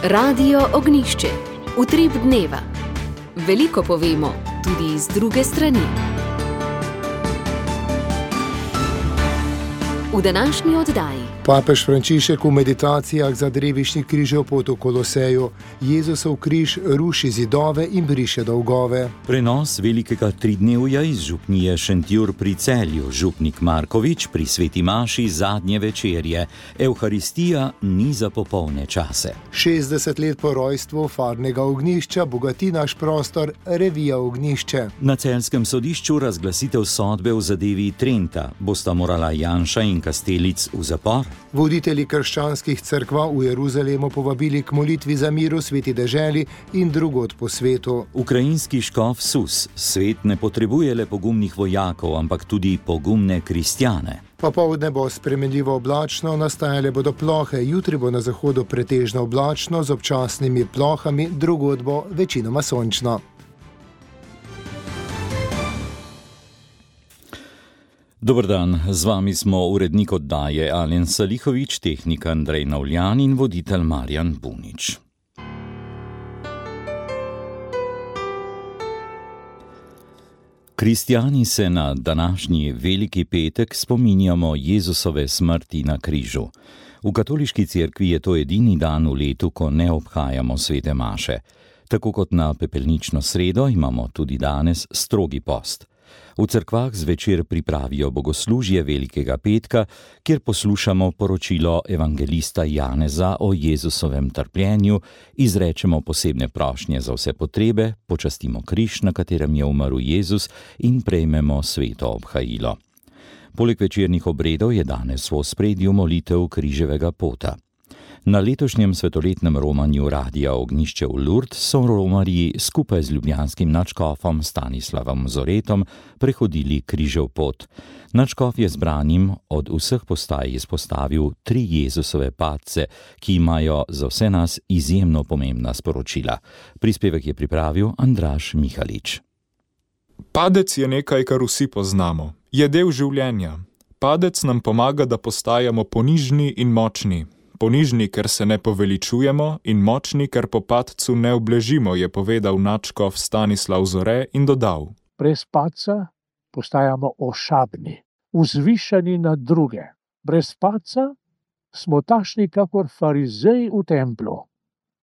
Radio Ognišče, utrip dneva. Veliko povemo, tudi z druge strani. V današnji oddaji Papež Frančišek v meditacijah za drevišni križev pot v Koloseju. Jezusov križ ruši zidove in briše dolgove. Prenos velikega tridnevja iz župnije Šentjur pri Celju, župnik Markovič pri sveti maši zadnje večerje. Evharistija ni za popolne čase. 60 let po rojstvu farnega ognjišča bogati naš prostor revija Ognjišče. Na celjskem sodišču razglasitev sodbe v zadevi Trenta. Bosta morala Janša in Kastelic v zapor? Voditelji krščanskih cerkva v Jeruzalemu povabili k molitvi za mir v sveti deželi in drugod po svetu. Ukrajinski škof Sus: svet ne potrebuje le pogumnih vojakov, ampak tudi pogumne kristjane. Popoldne bo spremenljivo oblačno, nastajale bodo plohe, jutri bo na zahodu pretežno oblačno z občasnimi plohami, drugod bo večinoma sončno. Dober dan, z vami smo urednik oddaje Alen Salihovič, tehnik Andrej Navljan in voditelj Marjan Bunič. Kristjani se na današnji veliki petek spominjamo Jezusove smrti na križu. V katoliški cerkvi je to edini dan v letu, ko ne obhajamo svete maše. Tako kot na pepelnično sredo imamo tudi danes strogi post. V cerkvah zvečer pripravijo bogoslužje velikega petka, kjer poslušamo poročilo evangelista Janeza o Jezusovem trpljenju, izrečemo posebne prošnje za vse potrebe, počastimo križ, na katerem je umrl Jezus, in prejmemo sveto obhajilo. Poleg večernih obredov je danes v ospredju molitev križevega pota. Na letošnjem svetoletnem romanju Radia Ognjišče v Lourdes so romarji skupaj z ljubljanskim nadškofom Stanislavom Zoretom prehodili križev pot. Nadškof je zbranim od vseh postaj izpostavil 3 Jezusove padce, ki imajo za vse nas izjemno pomembna sporočila. Prispevek je pripravil Andraž Mihalič. Padec je nekaj, kar vsi poznamo. Je del življenja. Padec nam pomaga, da postajamo ponižni in močni. Ponižni, ker se ne poveličujemo, in močni, ker po padcu ne obležimo, je povedal nadškof Stanislav Zore in dodal: Brez padca postajamo ošabni, vzvišeni nad druge. Brez padca smo takšni kakor farizeji v templu.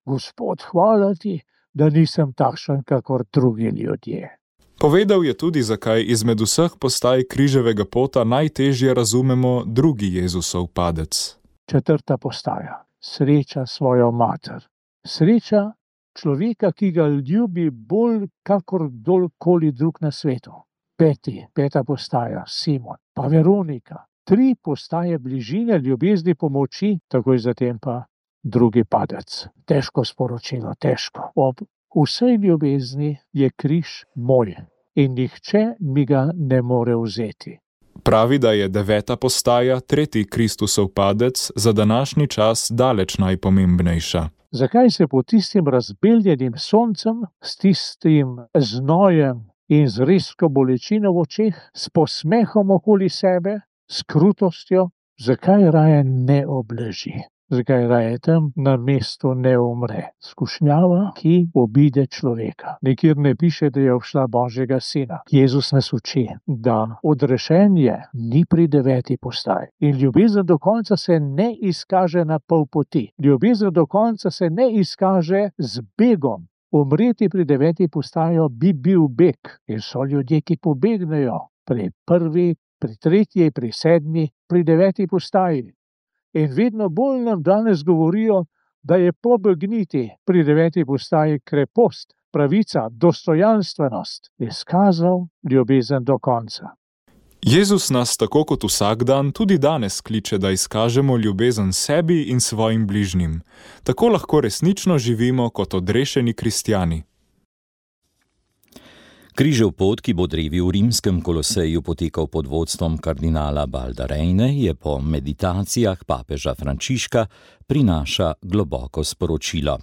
Gospod, hvala ti, da nisem takšen kakor drugi ljudje. Povedal je tudi, zakaj izmed vseh postaj križevega pota najtežje razumemo drugi Jezusov padec. 4. postaja. Sreča svojo mater. Sreča človeka, ki ga ljubi bolj kakor kdorkoli drug na svetu. 5. postaja. Simon. Pa Veronika. 3 postaje bližine, ljubezni, pomoči, takoj zatem pa drugi padec. Težko sporočilo, težko. Ob vsej ljubezni je križ moj in nihče mi ga ne more vzeti. Pravi, da je 9. postaja, 3. Kristusov padec, za današnji čas daleč najpomembnejša. Zakaj se pod tistim razbeljenim soncem, s tistim znojem in z rezko bolečino v očeh, s posmehom okoli sebe, s krutostjo, zakaj raje ne obleži? Zakaj raje tam na mestu ne umre? Skušnjava, ki obide človeka. Nikjer ne piše, da je obšla Božjega sina. Jezus nas uči, da odrešenje ni pri 9. postaji. In ljubezen do konca se ne izkaže na pol poti. Ljubezen do konca se ne izkaže z begom. Umreti pri 9. postaji bi bil beg. In so ljudje, ki pobegnejo pri 1., pri 3., pri 7., pri 9. postaji. In vedno bolj nam danes govorijo, da je pobegniti pri 9. postaji krepost, pravica, dostojanstvenost, izkazal ljubezen do konca. Jezus nas tako kot vsak dan tudi danes kliče, da izkažemo ljubezen sebi in svojim bližnjim. Tako lahko resnično živimo kot odrešeni kristjani. Križev pot, ki bo drevi v rimskem Koloseju potekal pod vodstvom kardinala Baldarejne, je po meditacijah papeža Frančiška prinaša globoko sporočilo.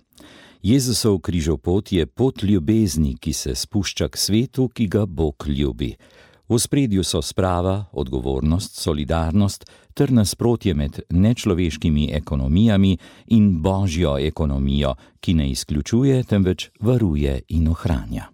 Jezusov križev pot je pot ljubezni, ki se spušča k svetu, ki ga Bog ljubi. V ospredju so sprava, odgovornost, solidarnost ter nasprotje med nečloveškimi ekonomijami in božjo ekonomijo, ki ne izključuje, temveč varuje in ohranja.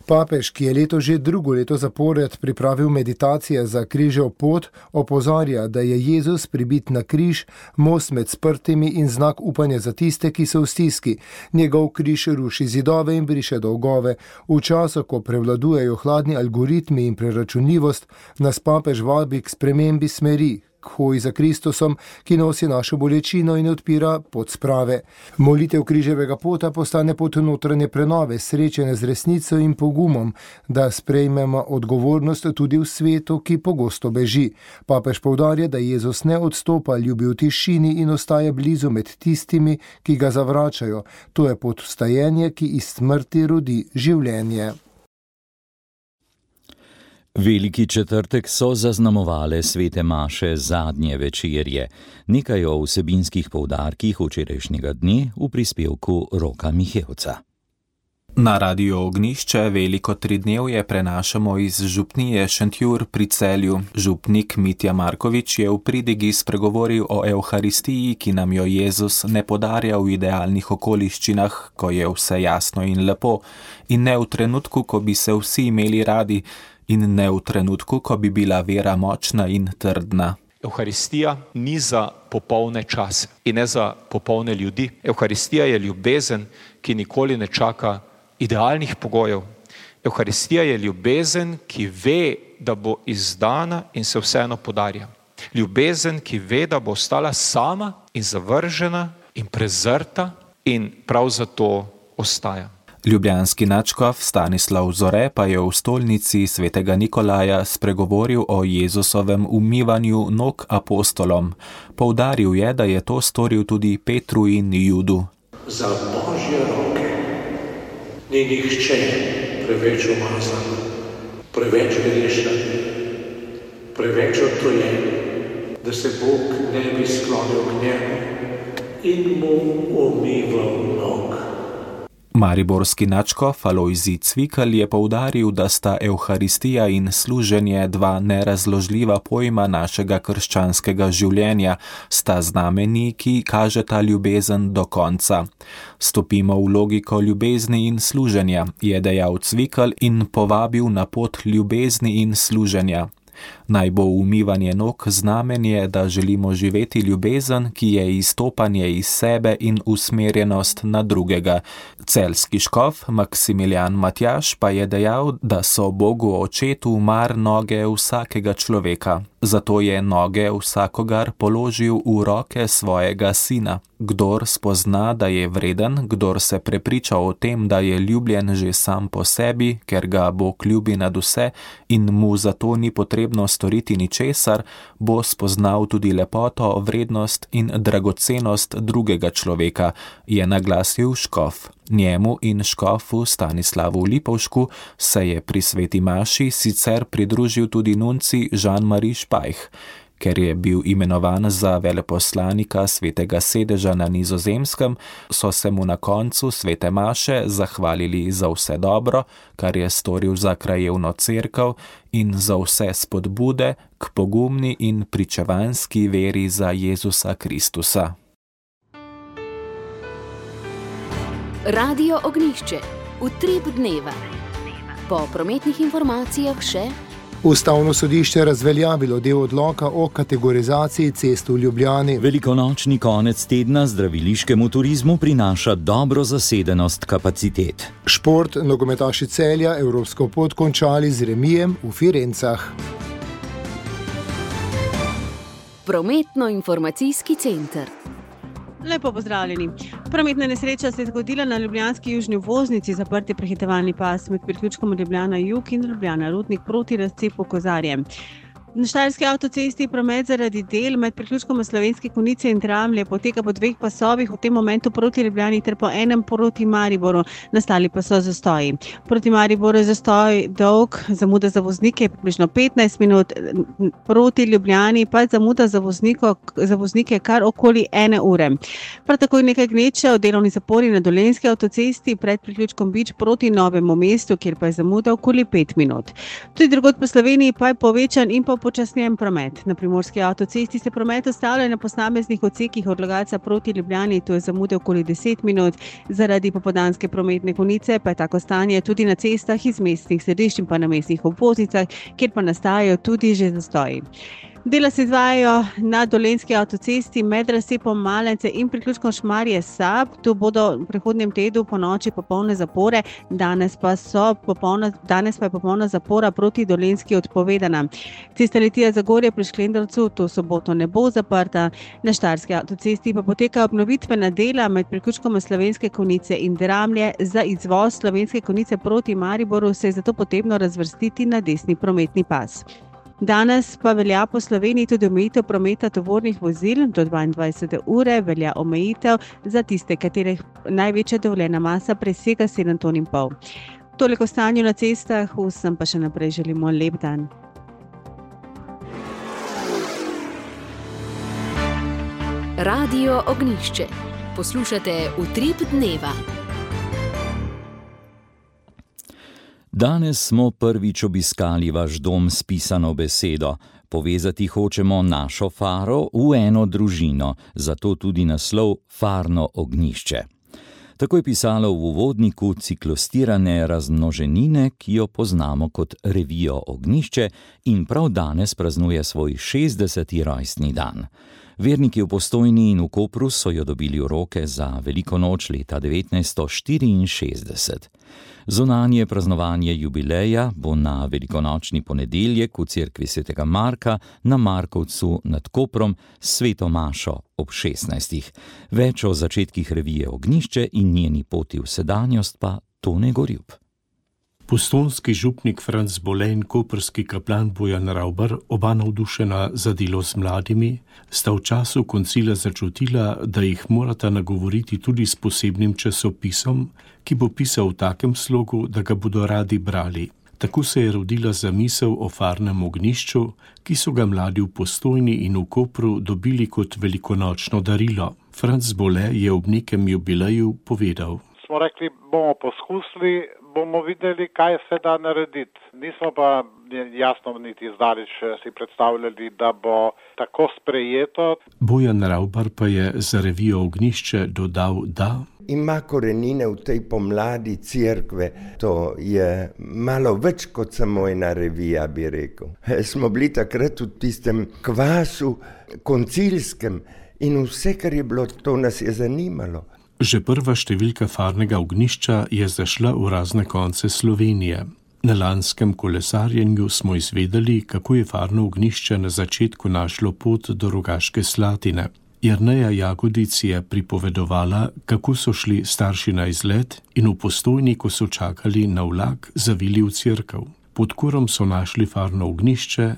Papež, ki je leto že drugo leto zapored pripravil meditacije za križev pot, opozarja, da je Jezus pribit na križ, most med sprtimi in znak upanja za tiste, ki so v stiski. Njegov križ ruši zidove in briše dolgove. V času, ko prevladujejo hladni algoritmi in preračunljivost, nas papež vabi k spremembi smeri, k hoji za Kristusom, ki nosi našo bolečino in odpira pot sprave. Molitev križevega pota postane pot notranje prenove, srečene z resnico in pogumom, da sprejmemo odgovornost tudi v svetu, ki pogosto beži. Papež poudarja, da Jezus ne odstopa, ljubi v tišini in ostaja blizu med tistimi, ki ga zavračajo. To je pot vstajenja, ki iz smrti rodi življenje. Veliki četrtek so zaznamovale svete maše zadnje večerje. Nekaj o vsebinskih poudarkih včerajšnjega dne v prispevku Roka Mihevca. Na Radiu Ognjišče veliko tridnevje prenašamo iz župnije Šentjur pri Celju. Župnik Mitja Markovič je v pridigi spregovoril o Evharistiji, ki nam jo Jezus ne podarja v idealnih okoliščinah, ko je vse jasno in lepo, in ne v trenutku, ko bi se vsi imeli radi, in ne v trenutku, ko bi bila vera močna in trdna. Evharistija ni za popolne čase in ne za popolne ljudi. Evharistija je ljubezen, ki nikoli ne čaka idealnih pogojev. Evharistija je ljubezen, ki ve, da bo izdana in se vseeno podarja. Ljubezen, ki ve, da bo ostala sama in zavržena in prezrta in prav zato ostaja. Ljubljanski nadškof Stanislav Zore pa je v stolnici svetega Nikolaja spregovoril o Jezusovem umivanju nog apostolom. Poudaril je, da je to storil tudi Petru in Judu. Za Božje roke ni nihče preveč umazan, preveč grešen, preveč odtujen, da se Bog ne bi sklonil k njemu in mu umival nog. Mariborski nadškof Alojzij Cvikl je poudaril, da sta Evharistija in služenje dva nerazložljiva pojma našega krščanskega življenja, sta znameni, ki kažeta ljubezen do konca. Stopimo v logiko ljubezni in služenja, je dejal Cvikl in povabil na pot ljubezni in služenja. Naj bo umivanje nog znamenje, da želimo živeti ljubezen, ki je izstopanje iz sebe in usmerjenost na drugega. Celjski škof Maksimilijan Matjaž pa je dejal, da so Bogu očetu mar noge vsakega človeka. Zato je noge vsakogar položil v roke svojega sina. Kdor spozna, da je vreden, kdor se prepriča o tem, da je ljubljen že sam po sebi, ker ga Bog ljubi nad vse in mu zato ni potrebno storiti ničesar, bo spoznal tudi lepoto, vrednost in dragocenost drugega človeka, je naglasil škof. Njemu in škofu Stanislavu Lipovšku se je pri sveti maši sicer pridružil tudi nunci Jean-Marie Špajh. Ker je bil imenovan za veleposlanika svetega sedeža na Nizozemskem, so se mu na koncu svete maše zahvalili za vse dobro, kar je storil za krajevno cerkev in za vse spodbude k pogumni in pričevanski veri za Jezusa Kristusa. Radio Ognjišče, utrip dneva. Po prometnih informacijah še: Ustavno sodišče razveljavilo del odloka o kategorizaciji cest v Ljubljani. Velikonočni konec tedna zdraviliškemu turizmu prinaša dobro zasedenost kapacitet. Šport, nogometaši Celja evropsko pot končali z remijem v Firencah. Prometno-informacijski center. Lepo pozdravljeni. Prometna nesreča se je zgodila na ljubljanski južni obvoznici, zaprti prehitevalni pas med priključkom Ljubljana Jug in Ljubljana Rudnik proti razcepu Kozarje. Na Štajerski avtocesti promet zaradi del med priključkom Slovenske Konjice in Dramlje poteka po 2 pasovih, v tem momentu proti Ljubljani ter po enem proti Mariboru. Nastali pa so zastoji. Proti Mariboru je zastoj dolg, zamuda za voznike približno 15 minut, proti Ljubljani pa zamuda za voznike kar okoli 1 ure. Prav tako je nekaj gneče v delovni zapori na Dolenjski avtocesti pred priključkom Bič proti Novemu mestu, kjer pa je zamuda okoli 5 minut. Tudi drugod po Sloveniji pa je povečan in pa počasnjen promet. Na Primorski avtocesti se promet ustavlja na posameznih odsekih od Logatca proti Ljubljani, to je zamude okoli 10 minut. Zaradi popoldanske prometne konice pa je tako stanje tudi na cestah iz mestnih središč in pa na mestnih obvoznicah, kjer pa nastajajo tudi že zastoji. Dela se izvajajo na Dolenjski avtocesti med razcepom Malence in priključkom Šmarje-Sab. Tu bodo v prihodnjem tednu ponoči popolne zapore, danes pa je popolna zapora proti Dolenjski odpovedana. Cesta Litija-Zagorje pri Šklendrcu to soboto ne bo zaprta. Na Štajerski avtocesti pa poteka obnovitvena dela med priključkom Slovenske Konjice in Dramlje. Za izvoz Slovenske Konjice proti Mariboru se je zato potrebno razvrstiti na desni prometni pas. Danes pa velja po Sloveniji tudi omejitev prometa tovornih vozil. Do 22. ure velja omejitev za tiste, katerih največja dovoljena masa presega 7,5 ton. Toliko o stanju na cestah, vsem pa še naprej želimo lep dan. Radio Ognjišče. Poslušate Utrip dneva. Danes smo prvič obiskali vaš dom s pisano besedo. Povezati hočemo našo faro v eno družino, zato tudi naslov Farno ognjišče. Tako je pisalo v uvodniku ciklostirane razmnoženine, ki jo poznamo kot revijo Ognjišče in prav danes praznuje svoj 60. rojstni dan. Verniki v Postojni in v Kopru so jo dobili v roke za veliko noč leta 1964. Zunanje praznovanje jubileja bo na velikonočni ponedeljek v cerkvi svetega Marka na Markovcu nad Koprom s sveto mašo ob 16. Več o začetkih revije Ognjišče in njeni poti v sedanjost pa Tone Gorjup. Postojnski župnik Franc Bole in koprski kaplan Bojan Ravbar, oba navdušena za delo z mladimi, sta v času koncila začutila, da jih morata nagovoriti tudi s posebnim časopisom, ki bo pisal v takem slogu, da ga bodo radi brali. Tako se je rodila zamisel o farnem ognjišču, ki so ga mladi v Postojni in v Kopru dobili kot velikonočno darilo. Franc Bole je ob nekem jubileju povedal: Smo rekli, bomo poskusili, bomo videli, kaj se da narediti. Nismo pa jasno niti zdaleč si predstavljali, da bo tako sprejeto. Bojan Ravbar pa je za revijo Ognjišče dodal, da ima korenine v tej pomladi cerkve. To je malo več kot samo ena revija, bi rekel. Smo bili takrat v tistem kvasu koncilskem in vse, kar je bilo, to nas je zanimalo. Že prva številka farnega ognjišča je zašla v razne konce Slovenije. Na lanskem kolesarjenju smo izvedeli, kako je farno ognjišče na začetku našlo pot do Rogaške Slatine. Jerneja Jagodic je pripovedovala, kako so šli starši na izlet in v Postojni, ko so čakali na vlak, zavili v cerkev. Pod kurom so našli farno ognjišče,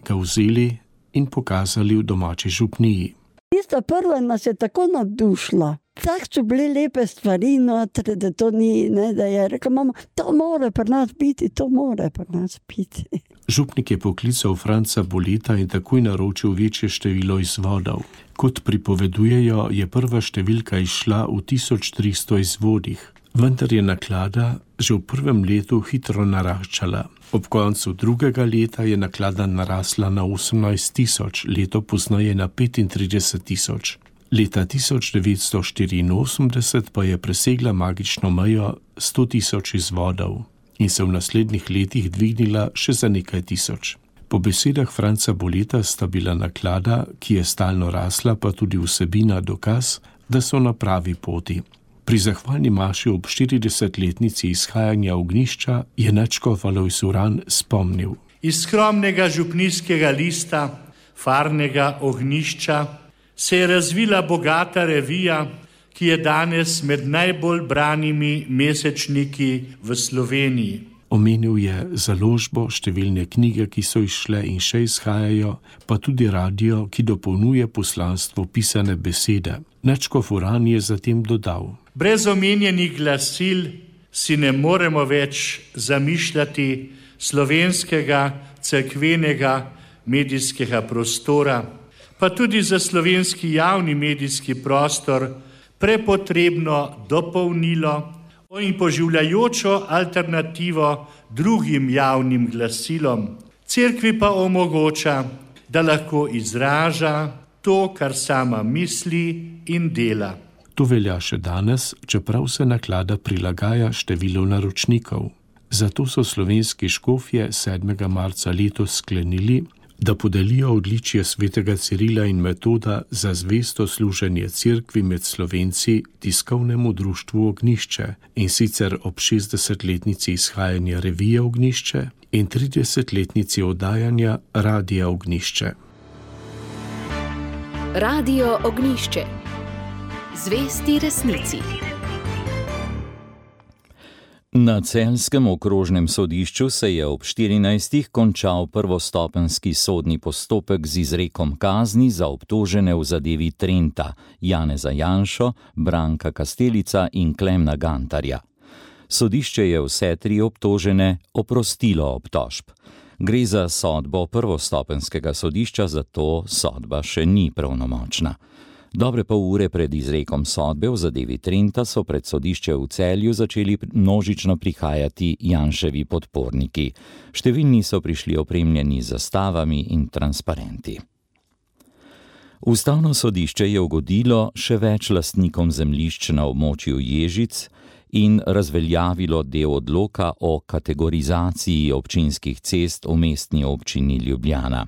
ga vzeli in pokazali v domači župniji. Tista prva nas je tako navdušila. Tak so bile lepe stvari notri, da to ni, ne, da je rekla mama, to mora pri nas biti, to mora pri nas biti. Župnik je poklical Franca Boleta in takoj naročil večje število izvodov. Kot pripovedujejo, je prva številka išla v 1300 izvodih, vendar je naklada že v prvem letu hitro naraščala. Ob koncu drugega leta je naklada narasla na 18 000, leto poznaje na 35 000. Leta 1984 pa je presegla magično mejo 100 000 izvodov in se v naslednjih letih dvignila še za nekaj tisoč. Po besedah Franca Boleta sta bila naklada, ki je stalno rasla, pa tudi vsebina dokaz, da so na pravi poti. Pri zahvalni maši ob 40-letnici izhajanja ognjišča je nadškof Alojz Uran spomnil. Iz skromnega župnijskega lista, farnega ognjišča, se je razvila bogata revija, ki je danes med najbolj branimi mesečniki v Sloveniji. Omenil je založbo, številne knjige, ki so izšle in še izhajajo, pa tudi radio, ki dopolnjuje poslanstvo pisane besede. Nadškof Uran je zatem dodal: Brez omenjenih glasil si ne moremo več zamišljati slovenskega cerkvenega medijskega prostora, pa tudi za slovenski javni medijski prostor prepotrebno dopolnilo in poživljajočo alternativo drugim javnim glasilom. Cerkvi pa omogoča, da lahko izraža to, kar sama misli in dela. To velja še danes, čeprav se naklada prilagaja številu naročnikov. Zato so slovenski škofje 7. marca letos sklenili, da podelijo odličje svetega Cirila in Metoda za zvesto služenje cerkvi med Slovenci tiskovnemu društvu Ognjišče, in sicer ob 60-letnici izhajanja revije Ognjišče in 30-letnici oddajanja Radia Ognjišče. Radio Ognjišče. Zvesti resnici. Na celjskem okrožnem sodišču se je ob 14. končal prvostopenjski sodni postopek z izrekom kazni za obtožene v zadevi Trenta, Janeza Janšo, Branka Kastelica in Klemna Gantarja. Sodišče je vse tri obtožene oprostilo obtožb. Gre za sodbo prvostopenjskega sodišča, zato sodba še ni pravnomočna. Dobre pol ure pred izrekom sodbe v zadevi Trenta so pred sodišče v Celju začeli množično prihajati Janševi podporniki. Številni so prišli opremljeni z zastavami in transparenti. Ustavno sodišče je ugodilo še več lastnikom zemljišč na območju Ježic in razveljavilo del odloka o kategorizaciji občinskih cest v mestni občini Ljubljana.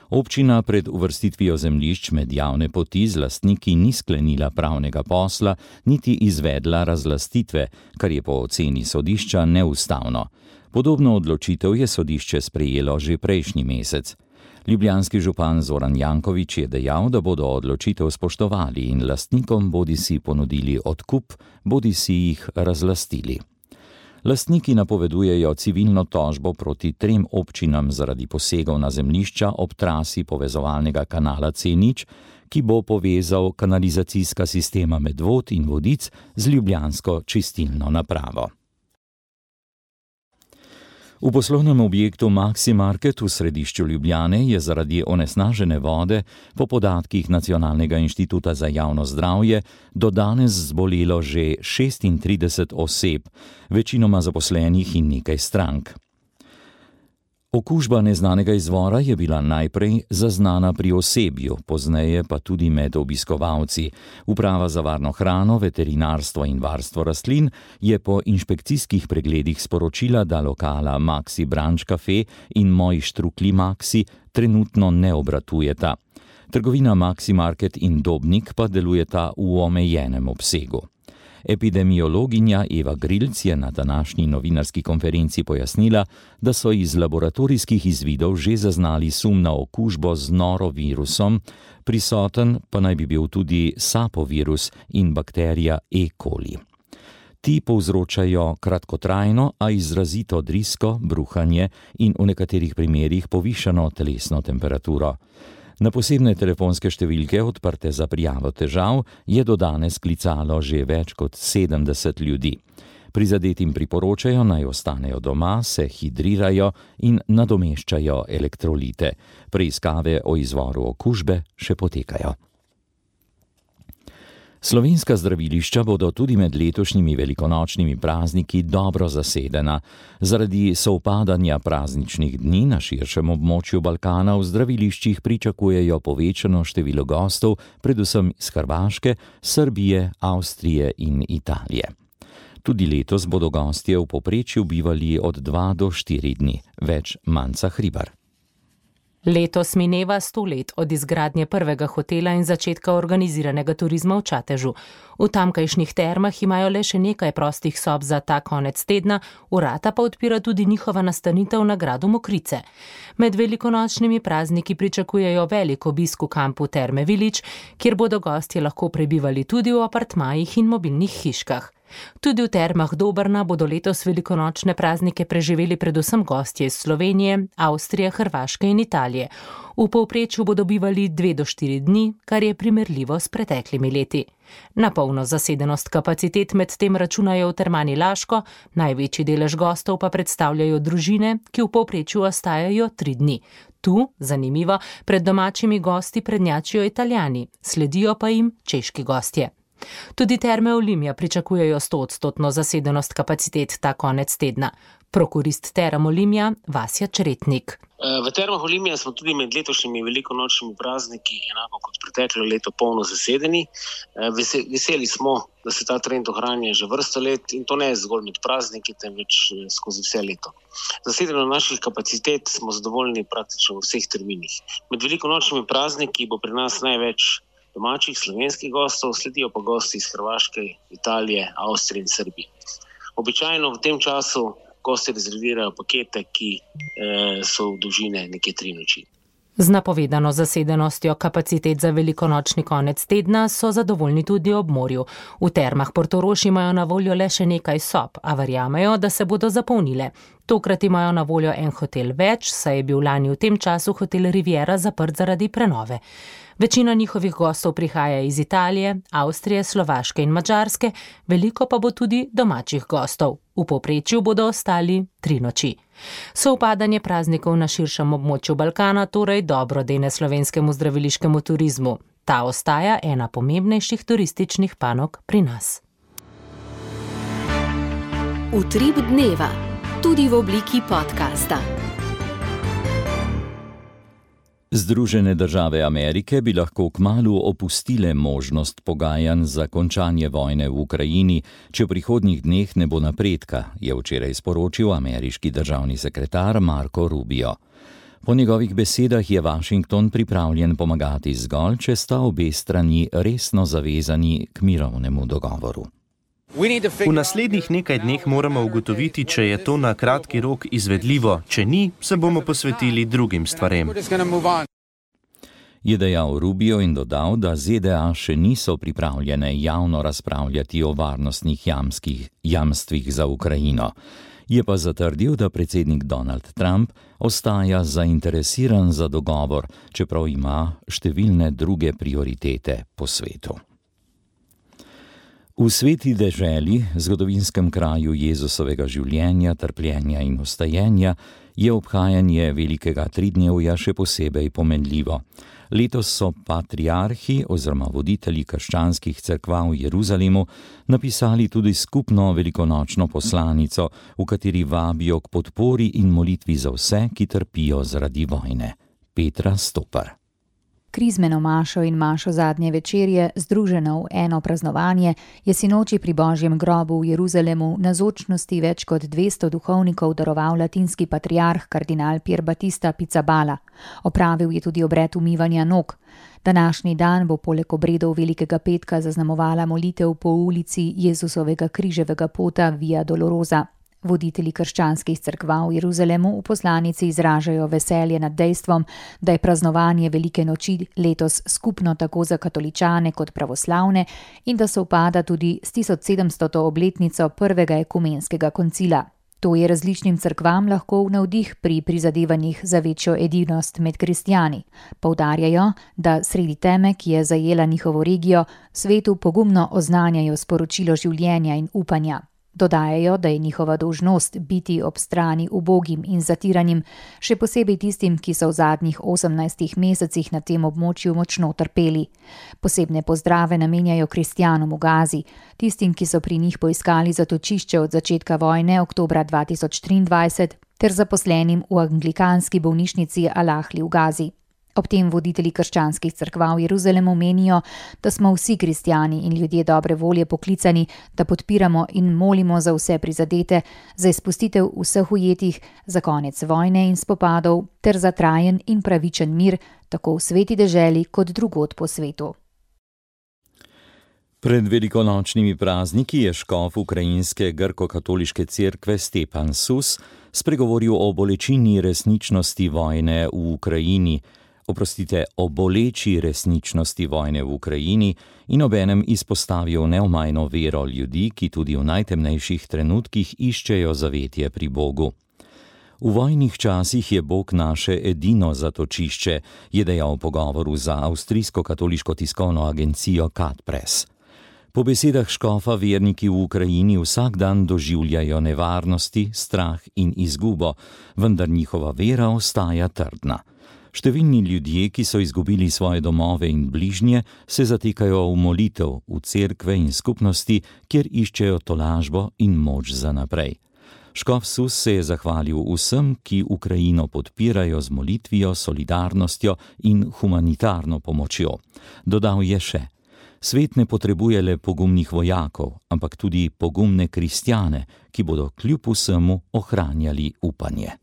Občina pred uvrstitvijo zemljišč med javne poti z lastniki ni sklenila pravnega posla, niti izvedla razlastitve, kar je po oceni sodišča neustavno. Podobno odločitev je sodišče sprejelo že prejšnji mesec. Ljubljanski župan Zoran Janković je dejal, da bodo odločitev spoštovali in lastnikom bodisi ponudili odkup, bodisi jih razlastili. Lastniki napovedujejo civilno tožbo proti 3 občinam zaradi posegov na zemljišča ob trasi povezovalnega kanala C0, ki bo povezal kanalizacijska sistema Medvod in Vodic z ljubljansko čistilno napravo. V poslovnem objektu Maxi Market v središču Ljubljane je zaradi onesnažene vode po podatkih Nacionalnega inštituta za javno zdravje do danes zbolelo že 36 oseb, večinoma zaposlenih in nekaj strank. Okužba neznanega izvora je bila najprej zaznana pri osebju, pozneje pa tudi med obiskovalci. Uprava za varno hrano, veterinarstvo in varstvo rastlin je po inšpekcijskih pregledih sporočila, da lokala Maxi Branch Cafe in Moji štrukli Maxi trenutno ne obratujeta. Trgovina Maxi Market in Dobnik pa delujeta v omejenem obsegu. Epidemiologinja Eva Grilc je na današnji novinarski konferenci pojasnila, da so iz laboratorijskih izvidov že zaznali sum na okužbo z norovirusom, prisoten pa naj bi bil tudi sapovirus in bakterija E. coli. Ti povzročajo kratkotrajno, a izrazito drisko, bruhanje in v nekaterih primerih povišano telesno temperaturo. Na posebne telefonske številke, odprte za prijavo težav, je do danes klicalo že več kot 70 ljudi. Prizadetim priporočajo, naj ostanejo doma, se hidrirajo in nadomeščajo elektrolite. Preiskave o izvoru okužbe še potekajo. Slovenska zdravilišča bodo tudi med letošnjimi velikonočnimi prazniki dobro zasedena. Zaradi sovpadanja prazničnih dni na širšem območju Balkana v zdraviliščih pričakujejo povečano število gostov, predvsem iz Hrvaške, Srbije, Avstrije in Italije. Tudi letos bodo gostje v povprečju bivali od 2 do 4 dni, več Manca Hribar. Letos mineva 100 let od izgradnje prvega hotela in začetka organiziranega turizma v Čatežu. V tamkajšnjih termah imajo le še nekaj prostih sob za ta konec tedna, vrata pa odpira tudi njihova nastanitev na gradu Mokrice. Med velikonočnimi prazniki pričakujejo velik obisk v kampu Terme Village, kjer bodo gostje lahko prebivali tudi v apartmajih in mobilnih hiškah. Tudi v Termah Dobrna bodo letos velikonočne praznike preživeli predvsem gostje iz Slovenije, Avstrije, Hrvaške in Italije. V povprečju bodo bivali 2 do 4 dni, kar je primerljivo s preteklimi leti. Na polno zasedenost kapacitet med tem računajo v Termani Laško, največji delež gostov pa predstavljajo družine, ki v povprečju ostajajo 3 dni. Tu, zanimivo, pred domačimi gosti prednjačijo Italijani, sledijo pa jim češki gostje. Tudi Terme Olimia pričakujejo 100% zasedenost kapacitet ta konec tedna. Prokurist Term Olimia Vasja Čretnik. V Termah Olimia smo tudi med letošnjimi velikonočnimi prazniki, enako kot preteklo leto, polno zasedeni. Veseli smo, da se ta trend ohranja že vrsto let in to ne zgolj med prazniki, temveč skozi vse leto. Zasedeno naših kapacitet smo zadovoljni praktično v vseh terminih. Med velikonočnimi prazniki bo pri nas največ domačih slovenskih gostov, sledijo pa gosti iz Hrvaške, Italije, Avstrije in Srbije. Običajno v tem času gosti rezervirajo pakete, ki so v dolžine nekje 3 noči. Z napovedano zasedenostjo kapacitet za velikonočni konec tedna so zadovoljni tudi ob morju. V Termah Portorož imajo na voljo le še nekaj sob, a verjamejo, da se bodo zapolnile. Tokrat imajo na voljo en hotel več, saj je bil lani v tem času hotel Riviera zaprt zaradi prenove. Večina njihovih gostov prihaja iz Italije, Avstrije, Slovaške in Madžarske, veliko pa bo tudi domačih gostov. V povprečju bodo ostali 3 noči. Sovpadanje praznikov na širšem območju Balkana torej dobro dene slovenskemu zdraviliškemu turizmu. Ta ostaja ena pomembnejših turističnih panog pri nas. Utrip dneva, tudi v obliki podcasta. Združene države Amerike bi lahko kmalu opustile možnost pogajanj za končanje vojne v Ukrajini, če v prihodnjih dneh ne bo napredka, je včeraj sporočil ameriški državni sekretar Marco Rubio. Po njegovih besedah je Washington pripravljen pomagati zgolj, če sta obe strani resno zavezani k mirovnemu dogovoru. V naslednjih nekaj dneh moramo ugotoviti, če je to na kratki rok izvedljivo, če ni, se bomo posvetili drugim stvarem. Je dejal Rubio in dodal, da ZDA še niso pripravljene javno razpravljati o varnostnih jamstvih za Ukrajino. Je pa zatrdil, da predsednik Donald Trump ostaja zainteresiran za dogovor, čeprav ima številne druge prioritete po svetu. V Sveti deželi, zgodovinskem kraju Jezusovega življenja, trpljenja in vstajenja, je obhajanje velikega tridnevja še posebej pomenljivo. Letos so patriarhi oziroma voditelji krščanskih cerkva v Jeruzalemu napisali tudi skupno velikonočno poslanico, v kateri vabijo k podpori in molitvi za vse, ki trpijo zaradi vojne. Petra Stopar. Krizmeno mašo in mašo zadnje večerje, združeno v eno praznovanje, je sinoči pri Božjem grobu v Jeruzalemu navzočnosti več kot 200 duhovnikov daroval latinski patriarh kardinal Pier Battista Pizzaballa. Opravil je tudi obred umivanja nog. Današnji dan bo poleg obredov Velikega petka zaznamovala molitev po ulici Jezusovega križevega pota Via Dolorosa. Voditelji krščanskih cerkva v Jeruzalemu v poslanici izražajo veselje nad dejstvom, da je praznovanje Velike noči letos skupno tako za katoličane kot pravoslavne in da sovpada tudi s 1700. obletnico prvega ekumenskega koncila. To je različnim cerkvam lahko v navdih pri prizadevanjih za večjo edinost med kristjani. Poudarjajo, da sredi teme, ki je zajela njihovo regijo, svetu pogumno oznanjajo sporočilo življenja in upanja. Dodajajo, da je njihova dolžnost biti ob strani ubogim in zatiranim, še posebej tistim, ki so v zadnjih 18 mesecih na tem območju močno trpeli. Posebne pozdrave namenjajo kristjanom v Gazi, tistim, ki so pri njih poiskali zatočišče od začetka vojne oktobra 2023, ter zaposlenim v anglikanski bolnišnici Al-Ahli v Gazi. Ob tem voditelji krščanskih cerkva v Jeruzalemu menijo, da smo vsi kristjani in ljudje dobre volje poklicani, da podpiramo in molimo za vse prizadete, za izpustitev vseh ujetih, za konec vojne in spopadov ter za trajen in pravičen mir, tako v Sveti deželi kot drugod po svetu. Pred velikonočnimi prazniki je škof ukrajinske grko-katoliške cerkve Stepan Sus spregovoril o bolečini resničnosti vojne v Ukrajini, o boleči resničnosti vojne v Ukrajini in obenem izpostavijo neomajno vero ljudi, ki tudi v najtemnejših trenutkih iščejo zavetje pri Bogu. V vojnih časih je Bog naše edino zatočišče, je dejal v pogovoru za avstrijsko katoliško tiskovno agencijo Katpress. Po besedah škofa verniki v Ukrajini vsak dan doživljajo nevarnosti, strah in izgubo, vendar njihova vera ostaja trdna. Številni ljudje, ki so izgubili svoje domove in bližnje, se zatekajo v molitev, v cerkve in skupnosti, kjer iščejo tolažbo in moč za naprej. Škof Sus se je zahvalil vsem, ki Ukrajino podpirajo z molitvijo, solidarnostjo in humanitarno pomočjo. Dodal je še: svet ne potrebuje le pogumnih vojakov, ampak tudi pogumne kristjane, ki bodo kljub vsemu ohranjali upanje.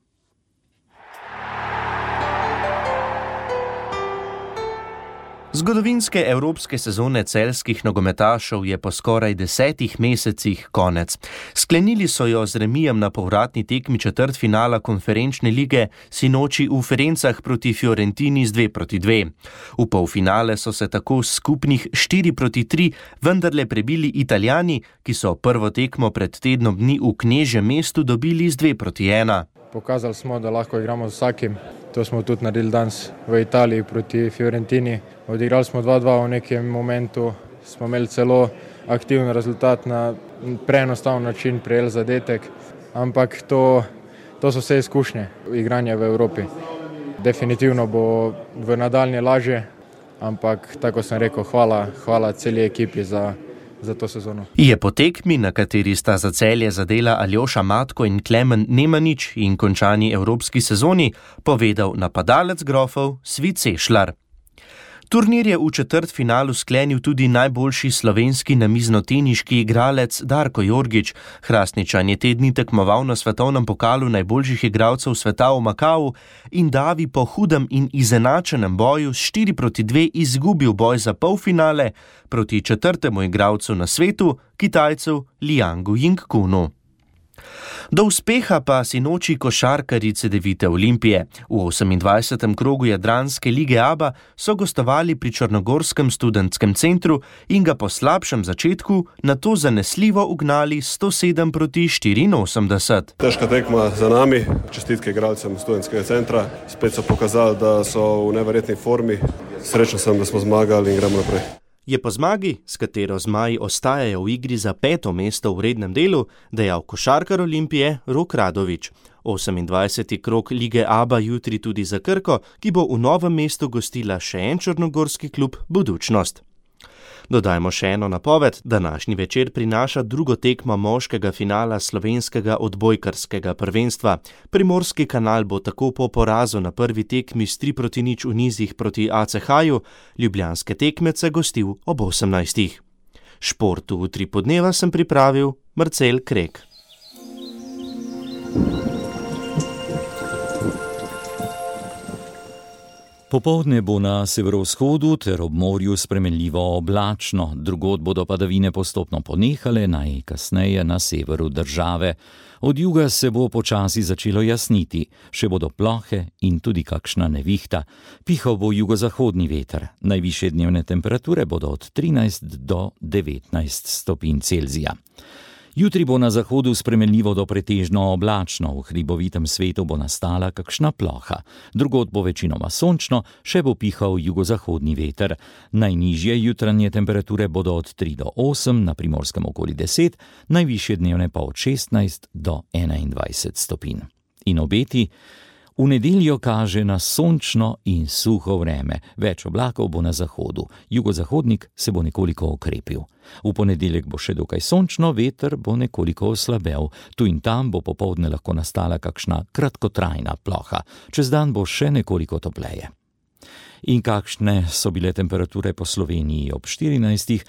Zgodovinske evropske sezone celjskih nogometašev je po skoraj 10 mesecih konec. Sklenili so jo z remijem na povratni tekmi četrtfinala konferenčne lige sinoči v Ferencah proti Fiorentini z 2-2. V polfinale so se tako skupnih 4-3 vendarle prebili Italijani, ki so prvo tekmo pred tednom dni v Knežjem mestu dobili z 2-1. Pokazali smo, da lahko igramo z vsakim. To smo tudi naredili danes v Italiji proti Fiorentini. Odigrali smo 2-2 v nekem momentu, smo imeli celo aktiven rezultat, na preenostaven način prejeli zadetek, ampak to so vse izkušnje igranja v Evropi. Definitivno bo v nadaljnje lažje, ampak tako sem rekel, hvala celi ekipi za to sezono. Je po tekmi, na kateri sta za Celje zadela Aljoša Matko in Klemen Nemanič in končani evropski sezoni, povedal napadalec Grofov Svit Sešljar. Turnir je v četrtfinalu sklenil tudi najboljši slovenski namiznoteniški igralec Darko Jorgič. Hrastničan je te dni tekmoval na svetovnem pokalu najboljših igralcev sveta v Makau in Davi po hudem in izenačenem boju s 4-2 izgubil boj za polfinale proti četrtemu igralcu na svetu, Kitajcu Liangu Yingkunu. Do uspeha pa sinoči košarkarice Cedevite Olimpije. V 28. krogu Jadranske lige ABA so gostovali pri črnogorskem študentskem centru in ga po slabšem začetku nato zanesljivo ugnali 107-84. Težka tekma za nami, čestitke igralcem študentskega centra. Spet so pokazali, da so v neverjetni formi. Srečen sem, da smo zmagali in gremo naprej. Je po zmagi, s katero zmaji ostajajo v igri za 5. mesto v rednem delu, dejal košarkar Olimpije Rok Radovič. 28. krog lige ABA jutri tudi za Krko, ki bo v Novem mestu gostila še en črnogorski klub Budućnost. Dodajmo še eno napoved, današnji večer prinaša drugo tekmo moškega finala slovenskega odbojkarskega prvenstva. Primorski kanal bo tako po porazu na prvi tekmi s 3-0 v nizih proti ACH-ju, ljubljanske tekmece gostil ob 18. Športu v 3 podneva sem pripravil Marcel Krek. Popoldne bo na severovzhodu ter ob morju spremenljivo oblačno, drugod bodo padavine postopno ponehale, najkasneje na severu države. Od juga se bo počasi začelo jasniti, še bodo plohe in tudi kakšna nevihta. Pihal bo jugozahodni veter, najvišje dnevne temperature bodo od 13 do 19 stopinj Celzija. Jutri bo na zahodu spremenljivo do pretežno oblačno, v hribovitem svetu bo nastala kakšna ploha. Drugod bo večinoma sončno, še bo pihal jugozahodni veter. Najnižje jutranje temperature bodo od 3 do 8, na Primorskem okoli 10, najvišje dnevne pa od 16 do 21 stopinj. In obeti? V nedeljo kaže na sončno in suho vreme, več oblakov bo na zahodu, jugozahodnik se bo nekoliko okrepil. V ponedeljek bo še dokaj sončno, veter bo nekoliko oslabel, tu in tam bo popoldne lahko nastala kakšna kratkotrajna ploha, čez dan bo še nekoliko topleje. In kakšne so bile temperature po Sloveniji ob 14.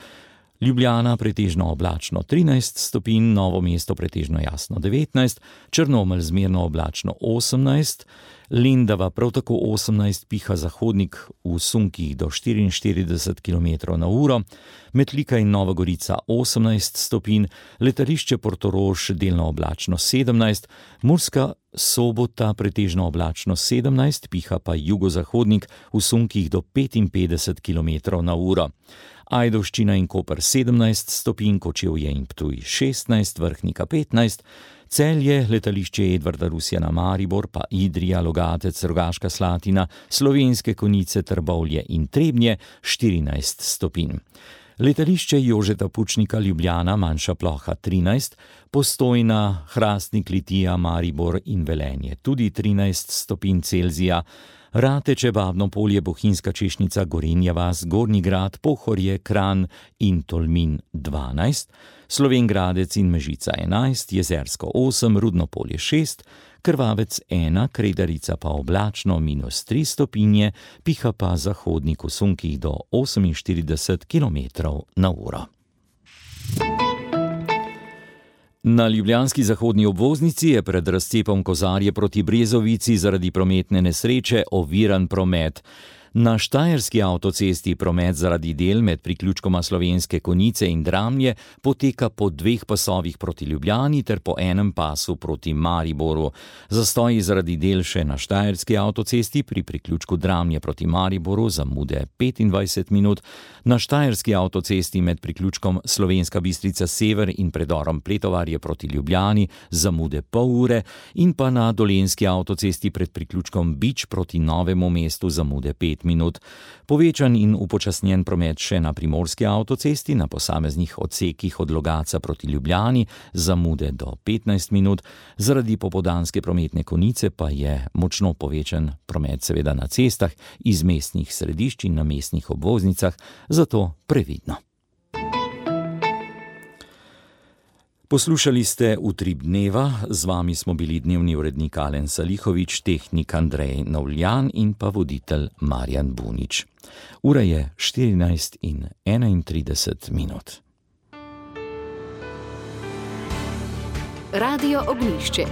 Ljubljana pretežno oblačno 13 stopinj, Novo mesto pretežno jasno 19, Črnomelj zmerno oblačno 18, Lendava prav tako 18, piha zahodnik v sunkih do 44 km/h, Metlika in Nova Gorica 18 stopinj, letališče Portorož delno oblačno 17, Murska Sobota pretežno oblačno 17, piha pa jugozahodnik v sunkih do 55 km/h. Ajdovščina in Koper 17 stopinj, Kočevje in Ptuj 16, Vrhnika 15, Celje, letališče Edvarda Rusjana Maribor, pa Idrija, Logatec, Rogaška Slatina, Slovenske Konjice, Trbovlje in Trebnje 14 stopinj. Letališče Jožeta Pučnika Ljubljana, manjša ploha 13, Postojna, Hrastnik, Litija, Maribor in Velenje tudi 13 stopinj Celzija, Rateče, Babno Polje, Bohinjska Češnica, Gorenja vas, Gornji Grad, Pohorje, Kranj in Tolmin 12, Slovenj Gradec in Mežica 11, Jezersko 8, Rudno Polje 6, Krvavec 1, Kredarica pa oblačno -3 stopinje, piha pa zahodnik v sunkih do 48 km/h. Na ljubljanski zahodni obvoznici je pred razcepom Kozarje proti Brezovici zaradi prometne nesreče oviran promet. Na štajerski avtocesti promet zaradi del med priključkoma Slovenske Konjice in Dramlje poteka po 2 pasovih proti Ljubljani ter po enem pasu proti Mariboru. Zastoji zaradi del še na štajerski avtocesti pri priključku Dramlje proti Mariboru zamude 25 minut, na štajerski avtocesti med priključkom Slovenska Bistrica Sever in predorom Pletovarje proti Ljubljani zamude pol ure in pa na dolenjski avtocesti pred priključkom Bič proti Novemu mestu zamude 5 minut. Povečan in upočasnjen promet še na primorski avtocesti na posameznih odsekih od Logatca proti Ljubljani zamude do 15 minut. Zaradi popoldanske prometne konice pa je močno povečan promet seveda na cestah iz mestnih središč in na mestnih obvoznicah, zato previdno. Poslušali ste Utrip dneva, z vami smo bili dnevni urednik Alen Salihovič, tehnik Andrej Novljan in pa voditelj Marjan Bunič. Ura je 14:31. Radio Ognjišče.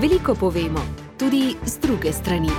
Veliko povemo, tudi z druge strani.